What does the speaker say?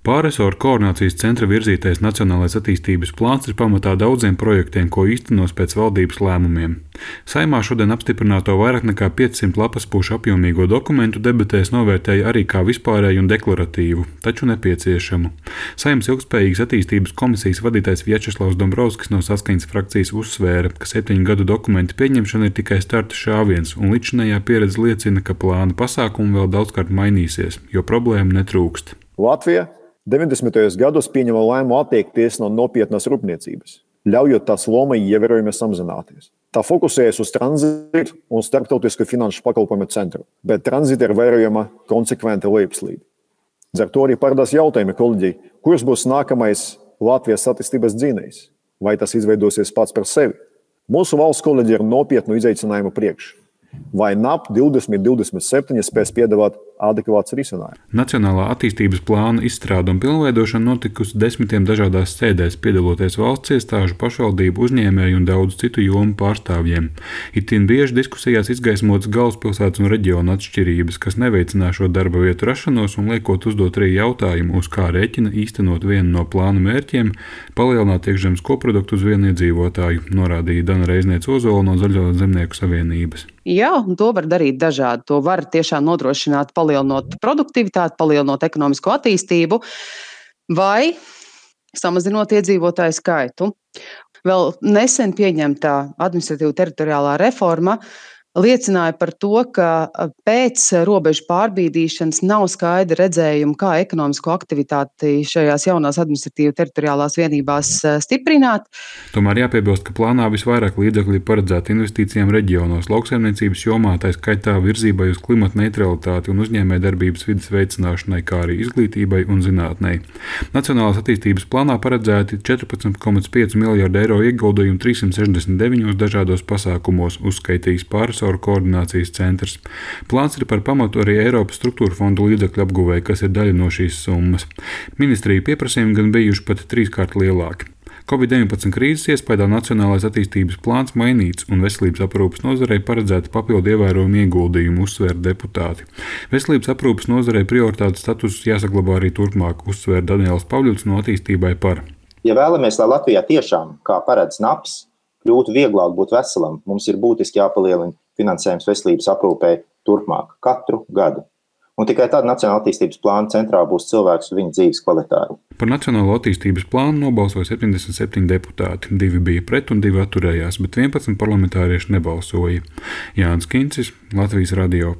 Pārresoru koordinācijas centra virzītais Nacionālais attīstības plāns ir pamatā daudziem projektiem, ko īstenos pēc valdības lēmumiem. Saeimā šodien apstiprināto vairāk nekā 500 lapaspušu apjomīgo dokumentu debatēs novērtēja arī kā vispārēju un deklaratīvu, taču nepieciešamu. Saeimas ilgtspējīgas attīstības komisijas vadītājs Vjačeslavs Dombrovskis no Saskaņas frakcijas uzsvēra, ka 7 gadu dokumentu pieņemšana ir tikai starta šāviens, un līdzinējā pieredze liecina, ka plāna pasākumi vēl daudzkārt mainīsies, jo problēmu netrūkst. Latvija 90. gados pieņēma lēmumu atteikties no nopietnas rūpniecības, ļaujot tās lomai ievērojami samazināties. Tā fokusējas uz tranzītu un starptautisku finanšu pakalpojumu centru, bet tranzīta ir vērojama konsekventa lejupslīde. Līdz ar to arī parādās jautājumi kolēģei, kurš būs nākamais Latvijas attīstības dzinējs, vai tas izveidosies pats par sevi. Mūsu valsts kolēģi ir nopietnu izaicinājumu priekš. Vai NAP 2027 spēs piedāvāt adekvāts risinājums? Nacionālā attīstības plāna izstrāde un pilnveidošana notikusi 10 dažādās sēdēs, piedaloties valsts iestāžu, pašvaldību, uzņēmēju un daudzu citu jomu pārstāvjiem. Itin bieži diskusijās izgaismotas galvaspilsētas un reģionu atšķirības, kas neveicinās šo darba vietu rašanos un liekot uzdot arī jautājumu, uz kā rēķina īstenot vienu no plāna mērķiem - palielināt iekšzemes koproduktu uz vienu iedzīvotāju, norādīja Dana Reizniece-Ozola no Zaļo zemnieku savienības. Jā, un to var darīt dažādi. To var tiešām nodrošināt, palielinot produktivitāti, palielinot ekonomisko attīstību vai samazinot iedzīvotāju skaitu. Vēl nesen pieņemtā administratīva teritoriālā reforma liecināja par to, ka pēc robežu pārbīdīšanas nav skaidra redzējuma, kā ekonomisko aktivitāti šajās jaunās administratīva teritoriālās vienībās stiprināt. Tomēr jāpiebilst, ka plānā visvairāk līdzekļu ir paredzēti investīcijām reģionos, lauksaimniecības jomā, tā skaitā virzībai uz klimata neutralitāti un uzņēmējdarbības vides veicināšanai, kā arī izglītībai un zinātnei. Nacionālās attīstības plānā paredzēti 14,5 miljardi eiro ieguldījumi 369 dažādos pasākumos, uzskaitījis Pārresoru koordinācijas centrs. Plāns ir par pamatu arī Eiropas struktūra fondu līdzekļu apguvēji, kas ir daļa no šīs summas. Ministriju pieprasījumi gan bijuši pat 3-kārt lielāki. Covid-19 krīzes iespējā Nacionālais attīstības plāns mainīts un veselības aprūpes nozarei paredzēta papildu ievērojumu ieguldījumu, uzsvēra deputāti. Veselības aprūpes nozarei prioritātes status jāsaglabā arī turpmāk, uzsvēra Daniels Pavļuts no Attīstībai par. Ja vēlamies, lai Latvijā tiešām, kā paredz NAPS, kļūtu vieglāk būt veselam, mums ir būtiski jāpalielina finansējums veselības aprūpei turpmāk, katru gadu. Un tikai tad Nacionālā attīstības plāna centrā būs cilvēks un viņa dzīves kvalitāte. Par Nacionālo attīstības plānu nobalsoja 77 deputāti, 2 bija pret un 2 atturējās, bet 11 parlamentārieši nebalsoja. Jānis Kincis, Latvijas radio.